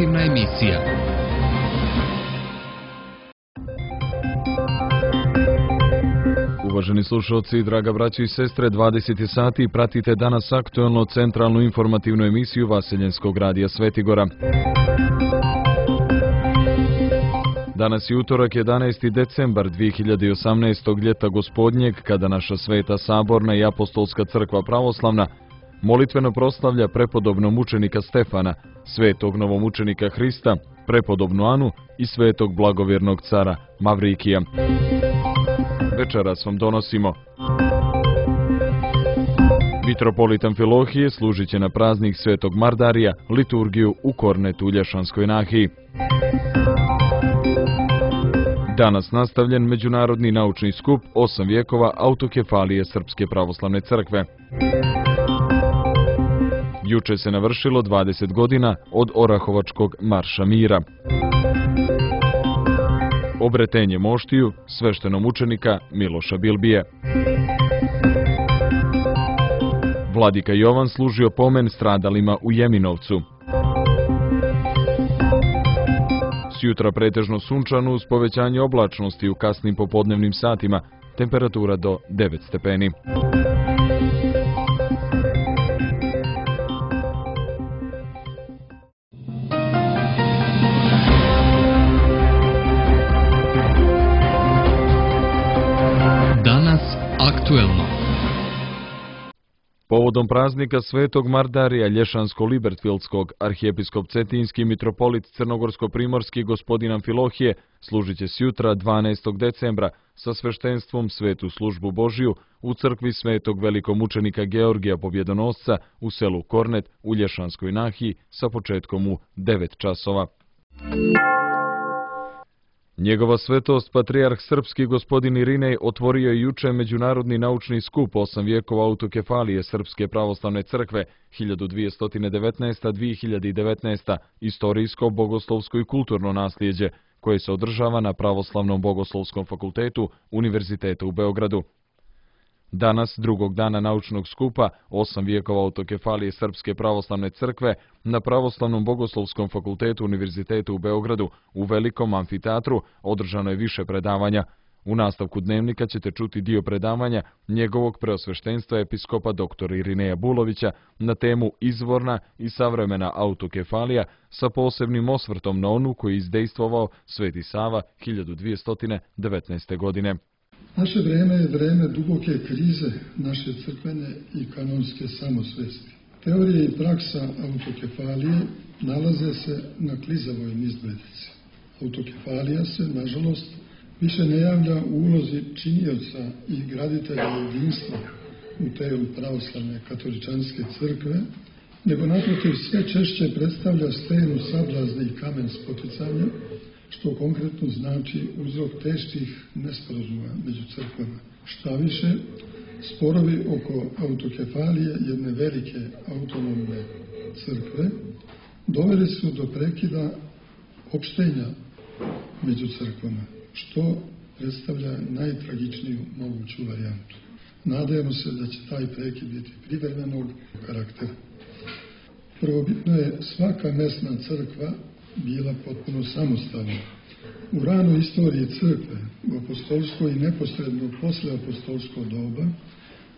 informativna emisija. Uvaženi slušalci, draga braćo i sestre, 20 sati pratite danas aktuelno centralnu informativnu emisiju Vaseljenskog radija Svetigora. Danas je utorak 11. decembar 2018. ljeta gospodnjeg, kada naša Sveta Saborna i Apostolska crkva pravoslavna molitveno proslavlja prepodobnog mučenika Stefana, svetog novomučenika Hrista, prepodobnu Anu i svetog blagovjernog cara Mavrikija. Večeras vam donosimo: mitropolit Amfilohije služit će na praznik svetog Mardarija liturgiju u Kornetu u Lješanskoj nahiji. Danas nastavljen međunarodni naučni skup 8 vijekova autokefalije Srpske pravoslavne crkve. Juče se navršilo 20 godina od Orahovačkog marša mira. Obretenje moštiju sveštenomučenika Miloša Bilbije. Vladika Jovan služio pomen stradalima u Jeminovcu. Sjutra pretežno sunčano uz povećanje oblačnosti u kasnim popodnevnim satima, temperatura do 9 stepeni. Danas aktuelno. Povodom praznika svetog Mardarija Lješansko-Libertfildskog, arhijepiskop Cetinski mitropolit Crnogorsko-Primorski gospodin Amfilohije služit će sjutra 12. decembra sa sveštenstvom svetu službu Božiju u crkvi svetog velikomučenika Georgija Pobjedonosca u selu Kornet u Lješanskoj nahiji sa početkom u 9 časova. Njegova svetost, patrijarh srpski gospodin Irinej, otvorio je juče međunarodni naučni skup 8 vijekova autokefalije Srpske pravoslavne crkve 1219-2019, istorijsko, bogoslovsko i kulturno naslijeđe, koje se održava na Pravoslavnom bogoslovskom fakultetu Univerziteta u Beogradu. Danas, drugog dana naučnog skupa 8 vijekova autokefalije Srpske pravoslavne crkve na Pravoslavnom bogoslovskom fakultetu Univerziteta u Beogradu u velikom amfiteatru održano je više predavanja. U nastavku dnevnika ćete čuti dio predavanja njegovog preosveštenstva episkopa dr. Irineja Bulovića na temu izvorna i savremena autokefalija sa posebnim osvrtom na onu koju je izdejstvovao Sveti Sava 1219. godine. Naše vrijeme je vrijeme duboke krize naše crkvene i kanonske samosvesti. Teorija i praksa autokefalije nalaze se na klizavoj nizbredici. Autokefalija se, nažalost, više ne javlja u ulozi činioca i graditelja jedinstva u telu pravoslavne katoličanske crkve, nego naprotiv sve češće predstavlja stenu sablazni i kamen spoticanja, što konkretno znači uzrok teških nesporazuma među crkvama. Šta više, sporovi oko autokefalije jedne velike autonomne crkve doveli su do prekida opštenja među crkvama, što predstavlja najtragičniju moguću varijantu. Nadajmo se da će taj prekid biti privremenog karaktera. Prvobitno je svaka mesna crkva bila potpuno samostalna. U ranoj istoriji crkve, u apostolsko i neposredno posle apostolsko doba,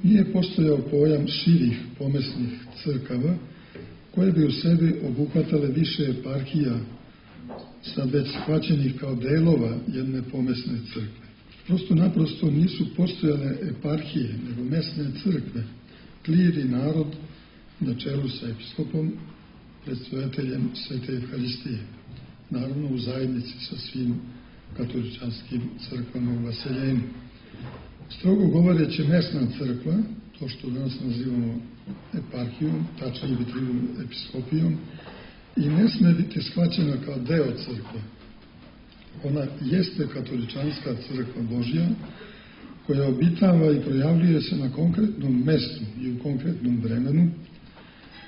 nije postojao pojam širih pomesnih crkava, koje bi u sebi obuhvatale više eparhija, sad već shvaćenih kao delova jedne pomesne crkve. Prosto naprosto nisu postojale eparhije, nego mesne crkve, klir i narod na čelu sa episkopom, predstojateljem Svete Evharistije, naravno u zajednici sa svim katoličanskim crkvama u Vaseljenju. Strogo govoreći, mesna crkva, to što danas nazivamo eparhijom, tačnije biti episkopijom, i ne sme biti shvaćena kao deo crkve. Ona jeste katoličanska crkva Božja, koja obitava i projavljuje se na konkretnom mestu i u konkretnom vremenu.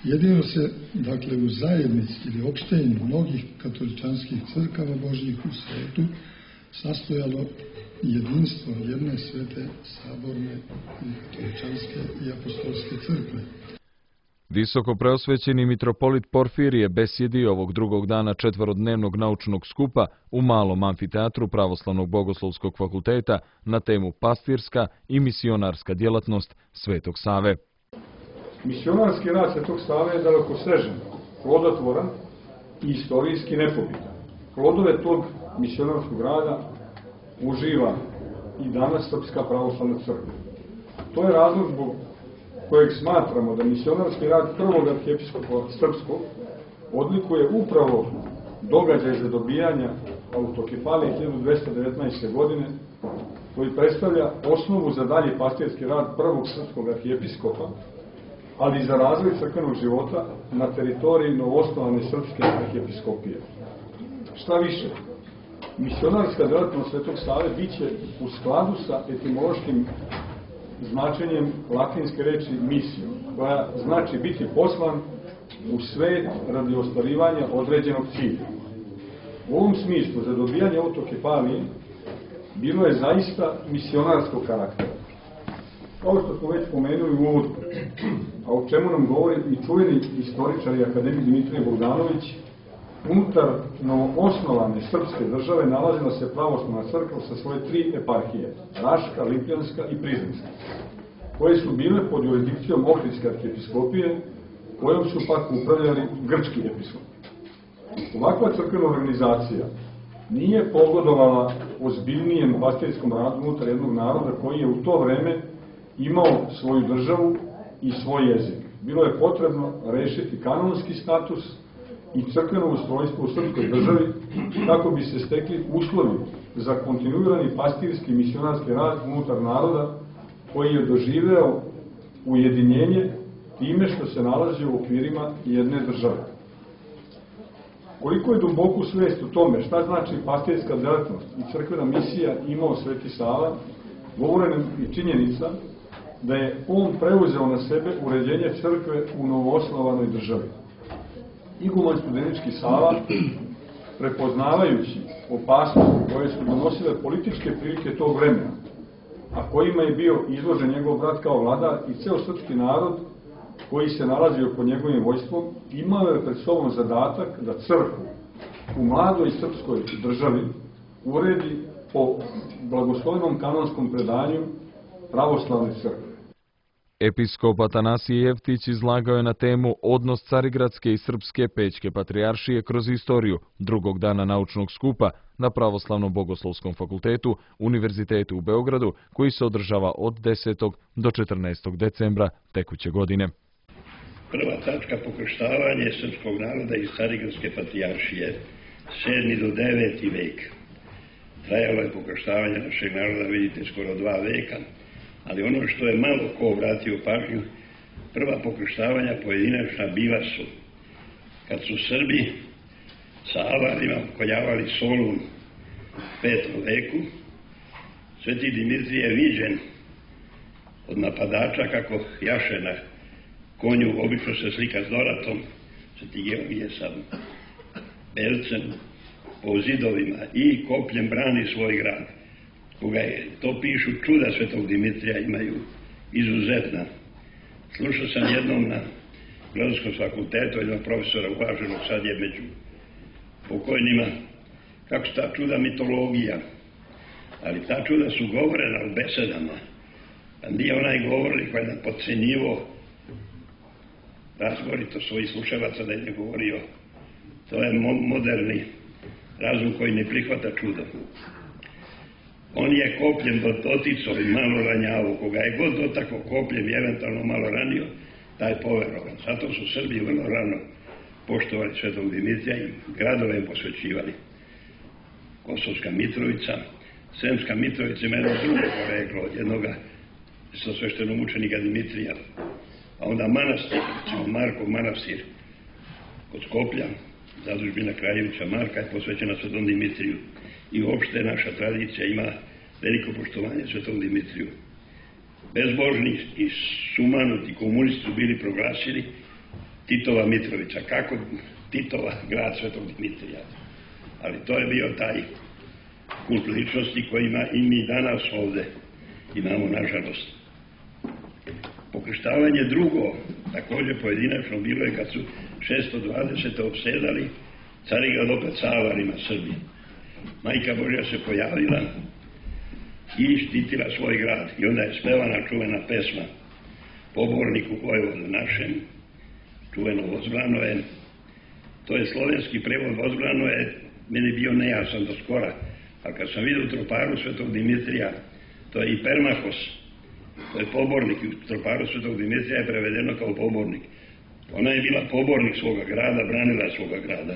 Jedino se, dakle, u zajednici ili opštenju mnogih katoličanskih crkava Božjih u svijetu sastojalo jedinstvo jedne svete saborne i katoličanske i apostolske crkve. Visoko preosvećeni mitropolit Porfirije besjedi ovog drugog dana četvorodnevnog naučnog skupa u malom amfiteatru Pravoslavnog bogoslovskog fakulteta na temu pastirska i misionarska djelatnost Svetog Save. Misionarski rad Svetog Save je dalekosežan, plodotvoran i istorijski nepobitan. Plodove tog misionarskog rada uživa i danas Srpska pravoslavna crkva. To je razlog zbog kojeg smatramo da misionarski rad prvog arhijepiskopa srpskog odlikuje upravo događaj zadobijanja autokefalije 1219. godine, koji predstavlja osnovu za dalji pastirski rad prvog srpskog arhijepiskopa, ali i za razvoj crkvenog života na teritoriji novoosnovane srpske arhijepiskopije. Šta više, misionarska djelatnost Svetog Save biće u skladu sa etimološkim značenjem latinske reči misijom, koja znači biti poslan u svet radi ostvarivanja određenog cilja. U ovom smislu, zadobijanje autokefalije bilo je zaista misionarskog karaktera. Kao što smo već spomenuli u uvodu, a o čemu nam govori i čuveni istoričar i akademik Dimitrije Bogdanović, unutar novoosnovane srpske države nalazila se pravoslavna crkva sa svoje 3 eparhije, Raška, Lipljanska i Prizrenska, koje su bile pod jurisdikcijom Ohridske arhijepiskopije, kojom su pak upravljali grčki episkopi. Ovakva crkvena organizacija nije pogodovala ozbiljnijem pastirskom radu unutar jednog naroda koji je u to vreme imao svoju državu i svoj jezik. Bilo je potrebno rešiti kanonski status i crkveno ustrojstvo u srpskoj državi kako bi se stekli uslovi za kontinuirani pastirski misionarski rad unutar naroda koji je doživeo ujedinjenje time što se nalazi u okvirima jedne države. Koliko je duboku svest u tome šta znači pastirska djelatnost i crkvena misija imao Sveti Sava, govore nam i činjenica da je on preuzeo na sebe uređenje crkve u novoosnovanoj državi. Iguman Studenički Sava, prepoznavajući opasnosti koje su donosile političke prilike tog vremena, a kojima je bio izložen njegov brat kao vladar i ceo srpski narod koji se nalazio pod njegovim vojstvom, imao je pred sobom zadatak da crkvu u mladoj srpskoj državi uredi po blagoslovenom kanonskom predanju pravoslavne crkve. Episkop Atanasije Jevtić izlagao je na temu odnos Carigradske i Srpske Pećke patrijaršije kroz istoriju drugog dana naučnog skupa na Pravoslavnom bogoslovskom fakultetu Univerzitetu u Beogradu, koji se održava od 10. do 14. decembra tekuće godine. Prva tačka pokrštavanje srpskog naroda iz Carigradske patrijaršije, 7. do 9. vek. Trajalo je pokrštavanje našeg naroda, vidite, skoro 2 veka, ali ono što je malo ko vratio pažnju, prva pokrštavanja pojedinačna bila su kad su Srbi sa Avarima pokoljavali Solun u 5. veku. Sveti Dimitrije je viđen od napadača kako jaše na konju, obično se slika s Doratom, Sveti Georgije sa belcem po zidovima i kopljem brani svoj grad. Koga je, to pišu čuda Svetog Dimitrija, imaju izuzetna. Slušao sam jednom na Filozofskom fakultetu jednog profesora uvaženog, sad je među pokojnima, kako su ta čuda mitologija, ali ta čuda su govorena u besedama, pa nije onaj govornik koji je podcenjivo razborito svojih slušalaca da je govorio. To je moderni razum koji ne prihvata čudo. On je kopljem doticao i malo ranjavo, koga je god dotakao kopljem i eventualno malo ranio, taj je poverovan. Zato su Srbi vrlo rano poštovali Svetog Dimitrija i gradove im posvećivali. Kosovska Mitrovica, Sremska Mitrovica ima jedno drugo poreklo od jednoga sa sveštenog učenika Dimitrija. A onda manastir, recimo Markov manastir kod Skoplja, zadužbina Kraljevića Marka je posvećena Svetom Dimitriju. I uopšte naša tradicija ima veliko poštovanje Svetom Dimitriju. Bezbožni i sumanuti komunisti su bili proglasili Titova Mitrovica, kako Titova grad Svetog Dimitrija. Ali to je bio taj kult ličnosti koji ima i mi danas ovde imamo, nažalost. Pokrštavanje drugo Također pojedinačno bilo je kad su 620. opsedali Carigrad opet savarima Srbi. Majka Božja se pojavila i štitila svoj grad. I onda je spevana čuvena pesma Poborniku Vojvodu našem, čuveno Vozblano je. To je slovenski prevod Vozblano je meni bio nejasan do skora. A kad sam vidio u troparu Svetog Dimitrija, to je i Permahos, to je pobornik. U troparu Svetog Dimitrija je prevedeno kao pobornik. Ona je bila pobornik svoga grada, branila svoga grada.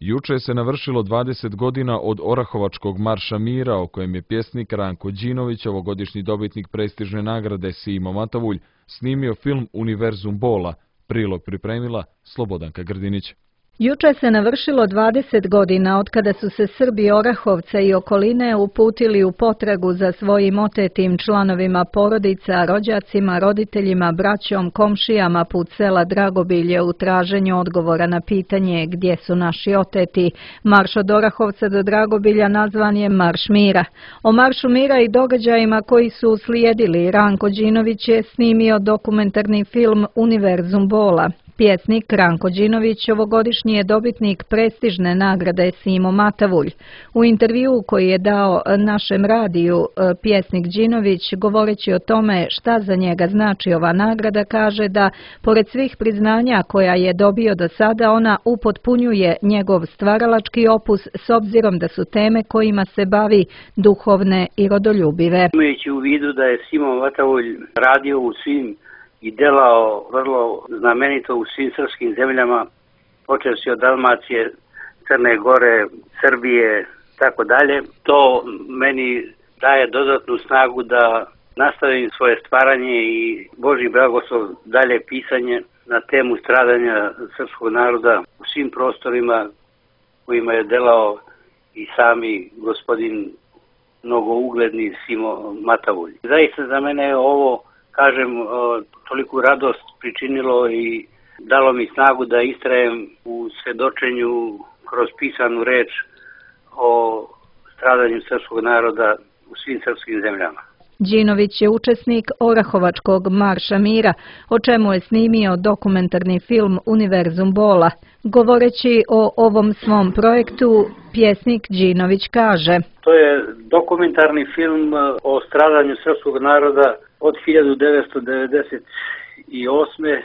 Juče se navršilo 20 godina od Orahovačkog marša mira, o kojem je pjesnik Ranko Đinović, ovogodišnji dobitnik prestižne nagrade Simo Matavulj, snimio film Univerzum bola. Prilog pripremila Slobodanka Grdinić. Juče se navršilo 20 godina od kada su se Srbi Orahovca i okoline uputili u potragu za svojim otetim članovima porodica, rođacima, roditeljima, braćom, komšijama put sela Dragobilje u traženju odgovora na pitanje gdje su naši oteti. Marš od Orahovca do Dragobilja nazvan je Marš mira. O Maršu mira i događajima koji su uslijedili Ranko Đinović je snimio dokumentarni film Univerzum bola. Pjesnik Ranko Đinović ovogodišnji je dobitnik prestižne nagrade Simo Matavulj. U intervjuu koji je dao našem radiju, pjesnik Đinović, govoreći o tome šta za njega znači ova nagrada, kaže da, pored svih priznanja koja je dobio do sada, ona upotpunjuje njegov stvaralački opus s obzirom da su teme kojima se bavi duhovne i rodoljubive. Imajući u vidu da je Simo Matavulj radio u svim i delao vrlo znamenito u svim srpskim zemljama, počevši od Dalmacije, Crne Gore, Srbije, tako dalje. To meni daje dodatnu snagu da nastavim svoje stvaranje i Božji blagoslov dalje pisanje na temu stradanja srpskog naroda u svim prostorima kojima je delao i sami gospodin mnogougledni Simo Matavulj. Zaista za mene je ovo, kažem, toliku radost pričinilo i dalo mi snagu da istrajem u svedočenju kroz pisanu reč o stradanju srpskog naroda u svim srpskim zemljama. Đinović je učesnik Orahovačkog marša mira, o čemu je snimio dokumentarni film Univerzum bola. Govoreći o ovom svom projektu, pjesnik Đinović kaže: To je dokumentarni film o stradanju srpskog naroda od 1998.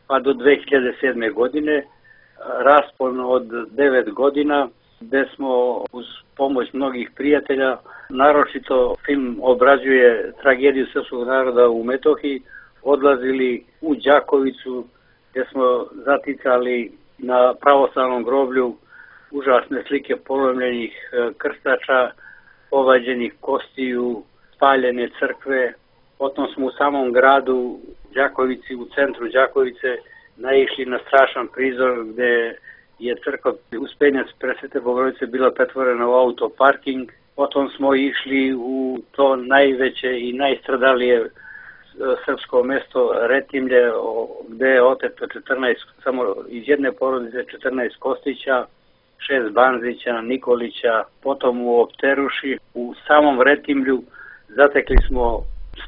pa do 2007. godine, raspon od 9 godina, gde smo uz pomoć mnogih prijatelja, naročito film obrađuje tragediju srpskog naroda u Metohiji, odlazili u Đakovicu, gdje smo zaticali na pravoslavnom groblju užasne slike polomljenih krstača, povađenih kostiju, spaljene crkve. Potom smo u samom gradu Đakovici, u centru Đakovice, naišli na strašan prizor gde je crkva Uspenjac Presvete Bogorodice bila pretvorena u autoparking. Potom smo išli u to najveće i najstradalije srpsko mesto Retimlje, gde je oteto 14, samo iz jedne porodice 14 Kostića, 6 Banzića, Nikolića, potom u Opteruši. U samom Retimlju zatekli smo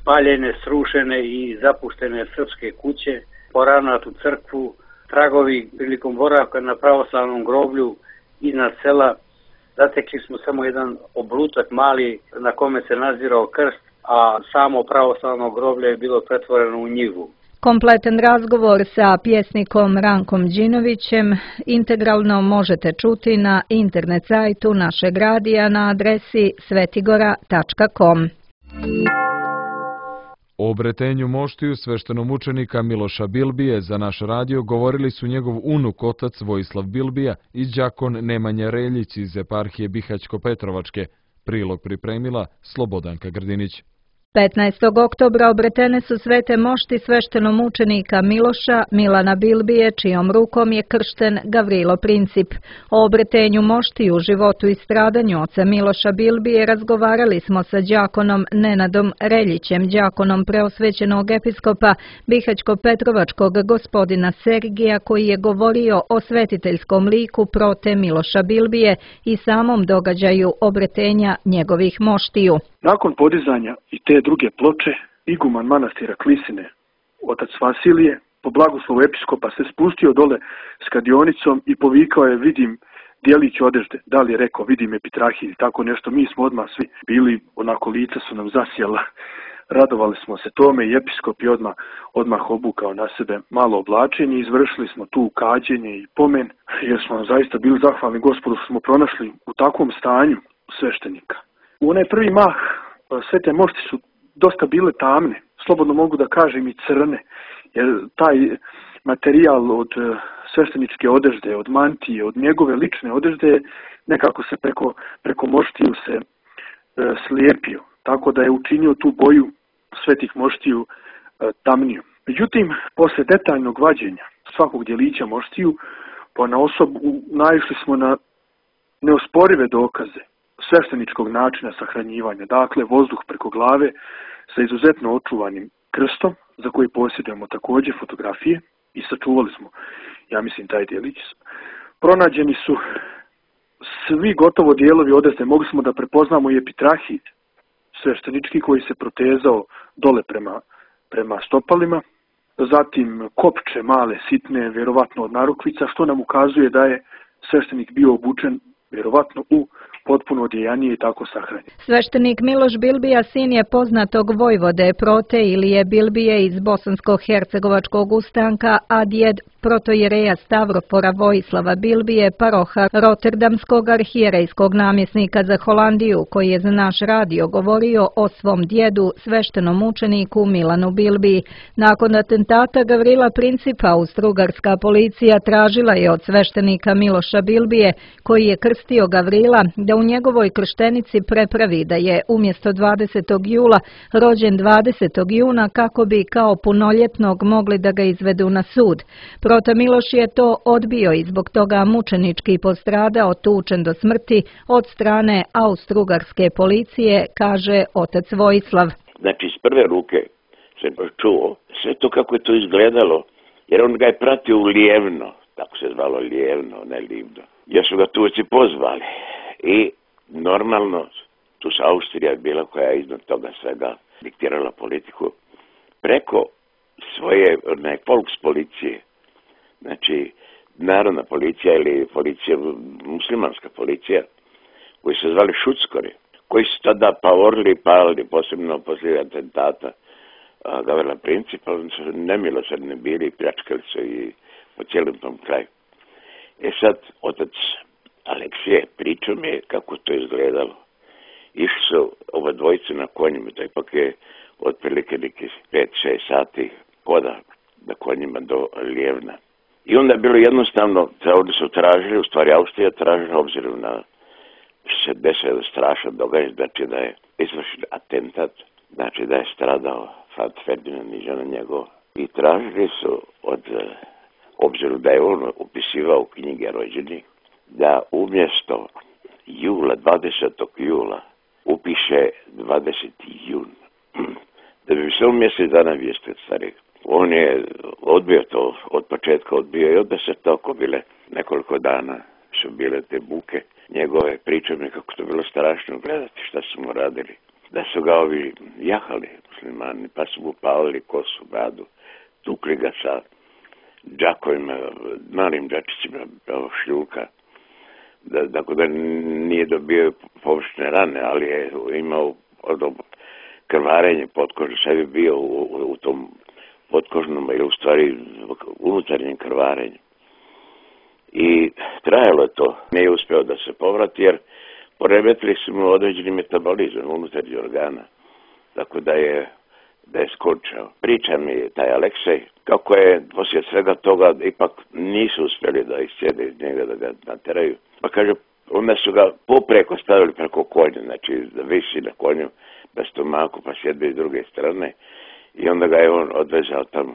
spaljene, srušene i zapuštene srpske kuće, poravnatu crkvu, tragovi prilikom boravka na pravoslavnom groblju iznad sela. Zatekli smo samo jedan oblutak mali na kome se nazirao krst, a samo pravoslavno groblje je bilo pretvoreno u njivu. Kompletan razgovor sa pjesnikom Rankom Đinovićem integralno možete čuti na internet sajtu našeg radija na adresi svetigora.com. O obretenju moštiju sveštenomučenika Miloša Bilbije za naš radio govorili su njegov unuk otac Vojislav Bilbija i đakon Nemanja Reljić iz eparhije Bihać-Petrovačke. Prilog pripremila Slobodanka Grdinić. 15. oktobra obretene su svete mošti sveštenomučenika Miloša Milana Bilbije, čijom rukom je kršten Gavrilo Princip. O obretenju mošti u životu i stradanju oca Miloša Bilbije razgovarali smo sa đakonom Nenadom Reljićem, đakonom preosvećenog episkopa Bihać-Petrovačkog gospodina Sergija, koji je govorio o svetiteljskom liku prote Miloša Bilbije i samom događaju obretenja njegovih moštiju. Nakon podizanja i te druge ploče, iguman manastira Klisine, otac Vasilije, po blagoslovu episkopa se spustio dole s kadionicom i povikao je, vidim dijelić odežde. Da li je rekao, vidim Epitrahiju i tako nešto. Mi smo odmah svi bili, onako lica su nam zasjela. Radovali smo se tome i episkop je odmah obukao na sebe malo oblačenje. Izvršili smo tu kađenje i pomen, jer smo zaista bili zahvalni Gospodu što smo pronašli u takvom stanju sveštenika. U onaj prvi mah sve te mošti su dosta bile tamne, slobodno mogu da kažem i crne, jer taj materijal od svešteničke odežde, od mantije, od njegove lične odežde, nekako se preko moštiju se slijepio, tako da je učinio tu boju svetih moštiju tamniju. Međutim, posle detaljnog vađenja svakog djelića moštiju, ponaosob naišli smo na neosporive dokaze svešteničkog načina sahranjivanja, dakle vozduh preko glave sa izuzetno očuvanim krstom, za koji posjedujemo također fotografije i sačuvali smo, ja mislim, taj djelić. Pronađeni su svi gotovo dijelovi odezde, mogli smo da prepoznamo i epitrahid sveštenički koji se protezao dole prema stopalima, zatim kopče male, sitne, vjerovatno od narukvica, što nam ukazuje da je sveštenik bio obučen vjerovatno u potpuno odjejanije i tako sahranjen. Sveštenik Miloš Bilbija sin je poznatog vojvode Prote Ilije Bilbije iz Bosansko-hercegovačkog ustanka, a djed protojereja Stavropora Vojislava Bilbije, paroha Rotterdamskog arhijerejskog namjesnika za Holandiju, koji je za naš radio govorio o svom djedu, sveštenom učeniku Milanu Bilbiji. Nakon atentata Gavrila Principa, austrougarska policija tražila je od sveštenika Miloša Bilbije, koji je krstio Gavrila, da u njegovoj krštenici prepravi da je umjesto 20. jula rođen 20. juna kako bi kao punoljetnog mogli da ga izvedu na sud. Prota Miloš je to odbio i zbog toga mučenički postradao, tučen do smrti od strane austrougarske policije, kaže otac Vojislav. Znači, iz prve ruke sam čuo sve to kako je to izgledalo, jer on ga je pratio u Lijevno, tako se zvalo Lijevno, ne Livno. Ja su ga Turci pozvali i normalno tu se Austrija bila koja je iznad toga svega diktirala politiku preko svoje Volkspolicije, znači narodna policija ili policija, muslimanska policija, koji se zvali šuckori, koji su tada pavorili, palili, posebno poslije atentata Gavrila Principa, oni su nemilosrdni bili i pljačkali su i po cijelom tom kraju. Sad, otac Aleksije pričao mi je kako to izgledalo. Išli su ova dvojica na konjima, to ipak je otprilike neki 5-6 sati hoda na konjima do Lijevna. I onda je bilo jednostavno, ovdje su tražili, u stvari Austrija tražila, obzirom na se desio strašan događaj, znači da je izvršen atentat, znači da je stradao Franz Ferdinand i žena njegova. I tražili su obzirom da je on upisivao knjige rođenih, da umjesto jula, 20. jula, upiše 20. jun. Da bi se mjesec dana vijestio starih. On je odbio to, od početka odbio i onda se toko bile nekoliko dana su bile te buke. Njegove priča mi kako to bilo strašno gledati šta su mu radili. Da su ga ovi jahali muslimani, pa su mu palili kosu, bradu, tukli ga sa džakovima, malim džačićima šljulka. Dakle, da nije dobio površne rane, ali je imao krvarenje potkožne, sve je bio u tom potkožnom ili u stvari unutarnjem krvarenju. I trajalo je to. Nije uspio da se povrati jer poremetili su mu određeni metabolizam unutarnjih organa. Tako da je skončao. Priča mi taj Aleksej kako je poslije svega toga ipak nisu uspjeli da iscijede iz njega, da ga nateraju. Pa kaže, onda su ga popreko stavili preko konja, znači da visi na konju na stomaku pa sjede iz druge strane i onda ga je on odvezao tamo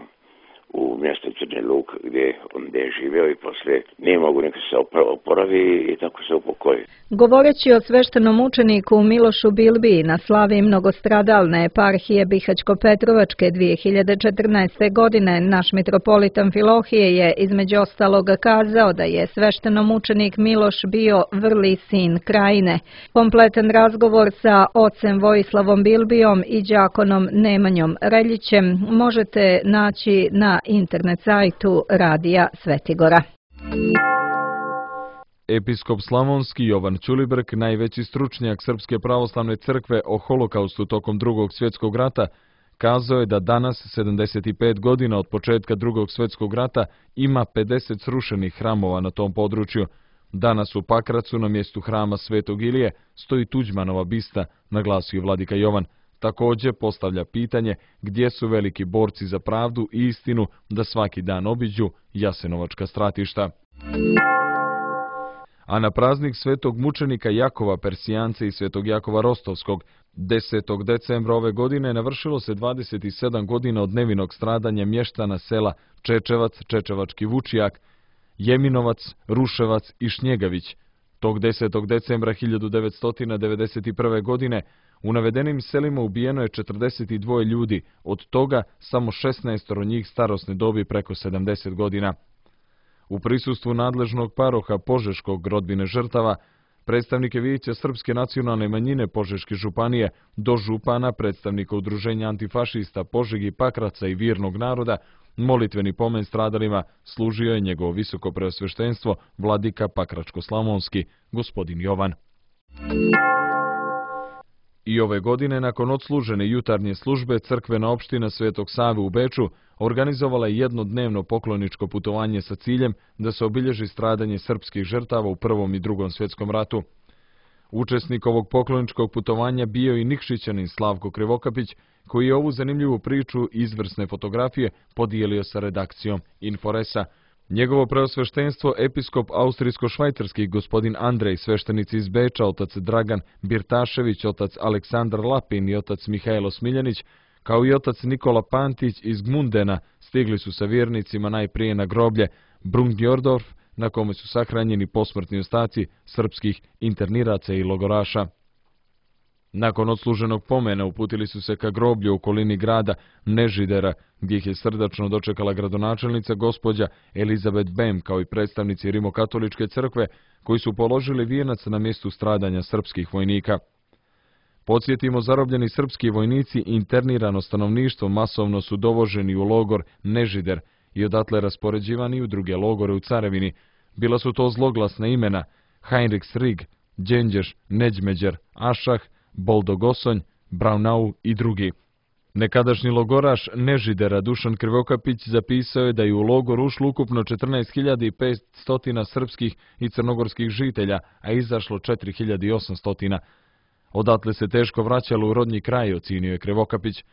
u mjesto Crne Luk gdje je živio i poslije nije mogu neka se oporavi i tako se upokoji. Govoreći o sveštenom učeniku Milošu Bilbiji na slavi mnogostradalne eparhije Bihaćko-Petrovačke 2014. godine, naš mitropolitan Filohije je između ostalog kazao da je sveštenom učenik Miloš bio vrli sin Krajine. Kompletan razgovor sa ocem Vojislavom Bilbijom i đakonom Nemanjom Reljićem možete naći na internet sajtu Radija Svetigora. Episkop Slavonski Jovan Ćulibrk, najveći stručnjak Srpske pravoslavne crkve o holokaustu tokom Drugog svjetskog rata, kazao je da danas, 75 godina od početka Drugog svjetskog rata, ima 50 srušenih hramova na tom području. Danas u Pakracu na mjestu hrama Svetog Ilije stoji Tuđmanova bista, naglasio vladika Jovan. Također postavlja pitanje gdje su veliki borci za pravdu i istinu da svaki dan obiđu jasenovačka stratišta. A na praznik svetog mučenika Jakova Persijance i svetog Jakova Rostovskog 10. decembra ove godine navršilo se 27 godina od nevinog stradanja mještana sela Čečevac, Čečevački Vučijak, Jeminovac, Ruševac i Šnjegavić. Tog 10. decembra 1991. godine u navedenim selima ubijeno je 42 ljudi, od toga samo 16 njih starosne dobi preko 70 godina. U prisustvu nadležnog paroha Požeškog rodbine žrtava, predstavnike Vijeća Srpske nacionalne manjine Požeške županije, do župana, predstavnika udruženja antifašista Požegi, Pakraca i Virnog naroda, molitveni pomen stradalima služio je njegovo visoko preosveštenstvo vladika Pakračko-Slavonski, gospodin Jovan. I ove godine, nakon odslužene jutarnje službe, crkvena opština Svetog Save u Beču organizovala je jednodnevno pokloničko putovanje sa ciljem da se obilježi stradanje srpskih žrtava u Prvom i Drugom svjetskom ratu. Učesnik ovog pokloničkog putovanja bio i Nikšićanin Slavko Krivokapić, koji je ovu zanimljivu priču i izvrsne fotografije podijelio sa redakcijom Inforesa. Njegovo preosveštenstvo, episkop austrijsko-švajcarski gospodin Andrej, sveštenici iz Beča, otac Dragan Birtašević, otac Aleksandar Lapin i otac Mihajlo Smiljanić, kao i otac Nikola Pantić iz Gmundena, stigli su sa vjernicima najprije na groblje Brungjordorf, na kome su sahranjeni posmrtni ostaci srpskih interniraca i logoraša. Nakon odsluženog pomena uputili su se ka groblju u okolini grada Nežidera, gdje ih je srdačno dočekala gradonačelnica gospođa Elizabeth Bem, kao i predstavnici Rimokatoličke crkve, koji su položili vijenac na mjestu stradanja srpskih vojnika. Podsjetimo, zarobljeni srpski vojnici i internirano stanovništvo masovno su dovoženi u logor Nežider i odatle raspoređivani u druge logore u Carevini. Bila su to zloglasna imena Heinrichsrig, Đenđeš, Neđmeđer, Ašah, Boldogosonj, Braunau i drugi. Nekadašnji logoraš Nežidera Dušan Krivokapić zapisao je da je u logor ušlo ukupno 14.500 srpskih i crnogorskih žitelja, a izašlo 4.800. Odatle se teško vraćalo u rodni kraj, ocenio je Krivokapić.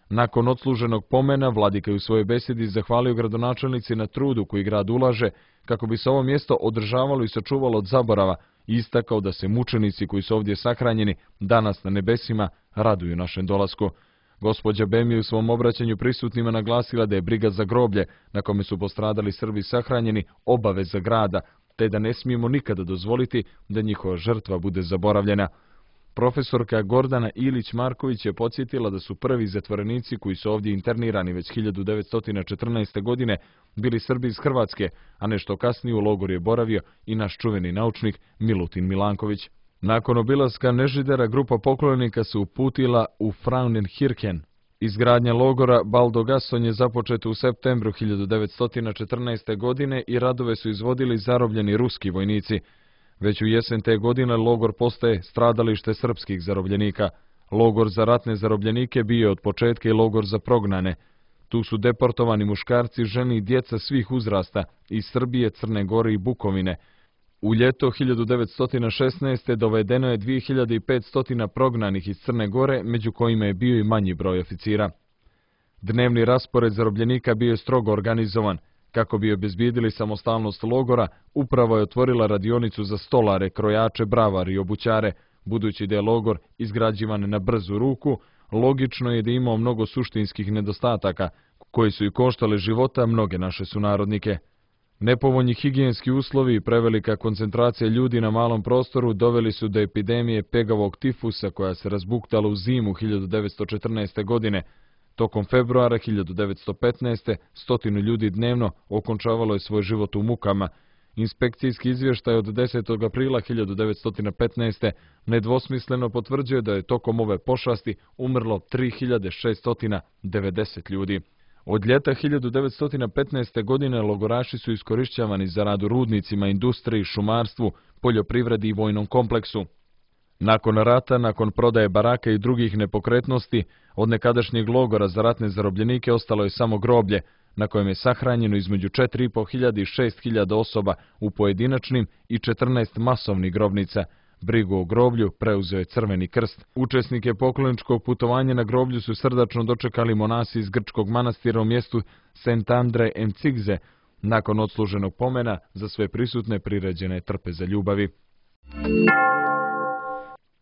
Nakon odsluženog pomena, vladika je u svojoj besedi zahvalio gradonačelnici na trudu koji grad ulaže kako bi se ovo mjesto održavalo i sačuvalo od zaborava i istakao da se mučenici koji su ovdje sahranjeni danas na nebesima raduju našem dolasku. Gospođa Bem je u svom obraćanju prisutnima naglasila da je briga za groblje na kome su postradali Srbi sahranjeni obaveza grada, te da ne smijemo nikada dozvoliti da njihova žrtva bude zaboravljena. Profesorka Gordana Ilić-Marković je podsjetila da su prvi zatvorenici koji su ovdje internirani već 1914. godine bili Srbi iz Hrvatske, a nešto kasnije u logoru je boravio i naš čuveni naučnik Milutin Milanković. Nakon obilaska Nežidera, grupa poklonika se uputila u Frauenkirchen. Izgradnja logora Baldogason je započeta u septembru 1914. godine i radove su izvodili zarobljeni ruski vojnici. Već u jesen te godine logor postaje stradalište srpskih zarobljenika. Logor za ratne zarobljenike bio je od početka i logor za prognane. Tu su deportovani muškarci, žene i djeca svih uzrasta iz Srbije, Crne Gore i Bukovine. U ljeto 1916. dovedeno je 2500 prognanih iz Crne Gore, među kojima je bio i manji broj oficira. Dnevni raspored zarobljenika bio je strogo organizovan. Kako bi obezbijedili samostalnost logora, upravo je otvorila radionicu za stolare, krojače, bravare i obućare. Budući da je logor izgrađivan na brzu ruku, logično je da je imao mnogo suštinskih nedostataka, koji su i koštale života mnoge naše sunarodnike. Nepovoljni higijenski uslovi i prevelika koncentracija ljudi na malom prostoru doveli su do epidemije pegavog tifusa koja se razbuktala u zimu 1914. godine. Tokom februara 1915. 100 ljudi dnevno okončavalo je svoj život u mukama. Inspekcijski izvještaj od 10. aprila 1915. nedvosmisleno potvrđuje da je tokom ove pošasti umrlo 3690 ljudi. Od ljeta 1915. godine logoraši su iskorišćavani za rad u rudnicima, industriji, šumarstvu, poljoprivredi i vojnom kompleksu. Nakon rata, nakon prodaje baraka i drugih nepokretnosti, od nekadašnjeg logora za ratne zarobljenike ostalo je samo groblje, na kojem je sahranjeno između 4.500 i 6.000 osoba u pojedinačnim i 14 masovnih grobnica. Brigu o groblju preuzeo je Crveni krst. Učesnike pokloničkog putovanja na groblju su srdačno dočekali monasi iz grčkog manastira u mjestu Sent'Andre Emcigze. Nakon odsluženog pomena, za sve prisutne priređene trpeze ljubavi.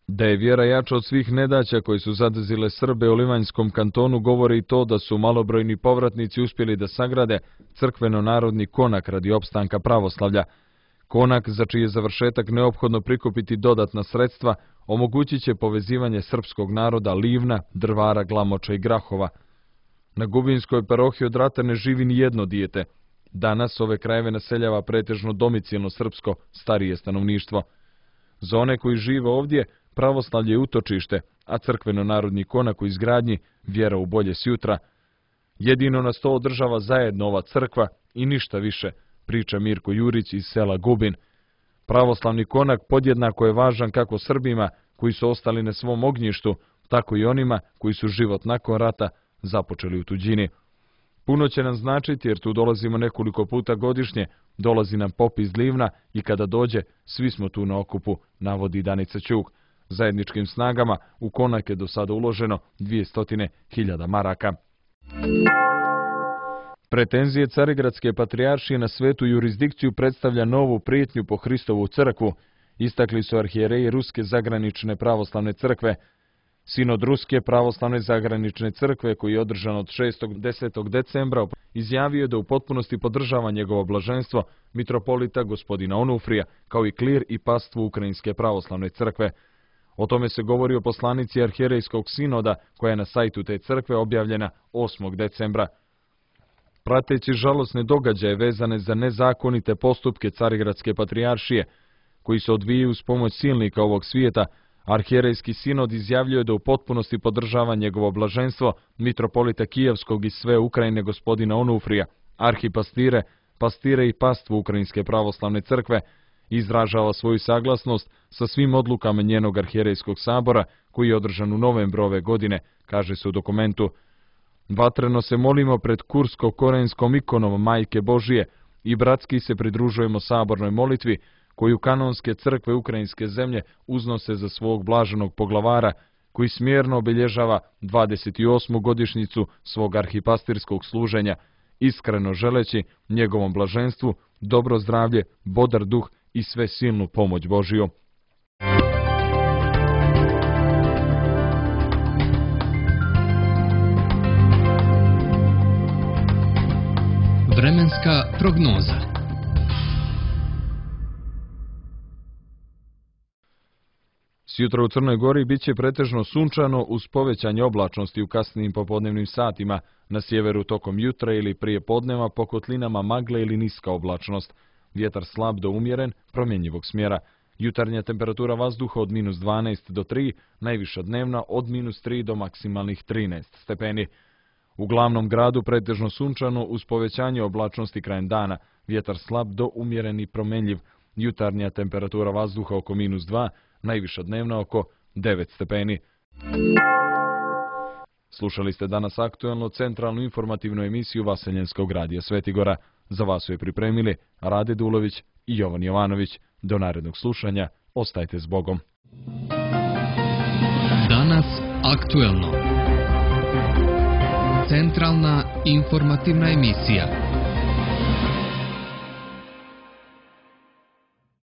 Da je vjera jača od svih nedaća koji su zadesile Srbe u Livanjskom kantonu govori i to da su malobrojni povratnici uspjeli da sagrade crkveno-narodni konak radi opstanka pravoslavlja. Konak, za čiji je završetak neophodno prikupiti dodatna sredstva, omogućit će povezivanje srpskog naroda Livna, Drvara, Glamoča i Grahova. Na Gubinskoj parohiji od rata ne živi ni jedno dijete. Danas ove krajeve naseljava pretežno domicilno srpsko, starije stanovništvo. Za one koji žive ovdje, pravoslavlje je utočište, a crkveno-narodni konak u izgradnji vjera u bolje sjutra. Jedino nas to održava zajedno ova crkva i ništa više, priča Mirko Jurić iz sela Gubin. Pravoslavni konak podjednako je važan kako Srbima koji su ostali na svom ognjištu, tako i onima koji su život nakon rata započeli u tuđini. Puno će nam značiti jer tu dolazimo nekoliko puta godišnje, dolazi nam pop iz Livna i kada dođe, svi smo tu na okupu, navodi Danica Ćuk. Zajedničkim snagama u konak je do sada uloženo 200.000 maraka. Pretenzije Carigradske patrijaršije na svetu jurisdikciju predstavlja novu prijetnju po Hristovu crkvu, istakli su arhijereji Ruske zagranične pravoslavne crkve. Sinod Ruske pravoslavne zagranične crkve, koji je održan od 6. do 10. decembra, izjavio je da u potpunosti podržava njegovo blaženstvo mitropolita gospodina Onufrija, kao i klir i pastvu Ukrajinske pravoslavne crkve. O tome se govori o poslanici arhijerejskog sinoda, koja je na sajtu te crkve objavljena 8. decembra. Prateći žalosne događaje vezane za nezakonite postupke Carigradske patrijaršije, koji se odvijaju uz pomoć silnika ovog svijeta, arhijerejski sinod izjavljuje da u potpunosti podržava njegovo blaženstvo mitropolita Kijevskog i sve Ukrajine gospodina Onufrija, arhipastire, pastire i pastvu Ukrajinske pravoslavne crkve, izražava svoju saglasnost sa svim odlukama njenog arhijerejskog sabora koji je održan u novembru ove godine, kaže se u dokumentu. Vatreno se molimo pred kursko-korejskom ikonom Majke Božije i bratski se pridružujemo sabornoj molitvi koju kanonske crkve ukrajinske zemlje uznose za svog blaženog poglavara koji smjerno obilježava 28. godišnjicu svog arhipastirskog služenja, iskreno želeći njegovom blaženstvu dobro zdravlje, bodar duh i sve silnu pomoć Božiju. Vremenska prognoza. Sjutra u Crnoj Gori bit će pretežno sunčano uz povećanje oblačnosti u kasnim popodnevnim satima, na sjeveru tokom jutra ili prije podneva po kotlinama magle ili niska oblačnost. Vjetar slab do umjeren, promjenjivog smjera. Jutarnja temperatura vazduha od -12 do 3, najviša dnevna od -3 do maksimalnih 13 stepeni. U glavnom gradu pretežno sunčano uz povećanje oblačnosti krajem dana, vjetar slab do umjeren i promjenjiv. Jutarnja temperatura vazduha oko -2, najviša dnevna oko 9 stepeni. Slušali ste danas aktuelno centralnu informativnu emisiju Vaseljenskog radija Svetigora. Za vas su je pripremili Rade Dulović i Jovan Jovanović. Do narednog slušanja, ostajte s Bogom. Danas aktuelno. Centralna informativna emisija.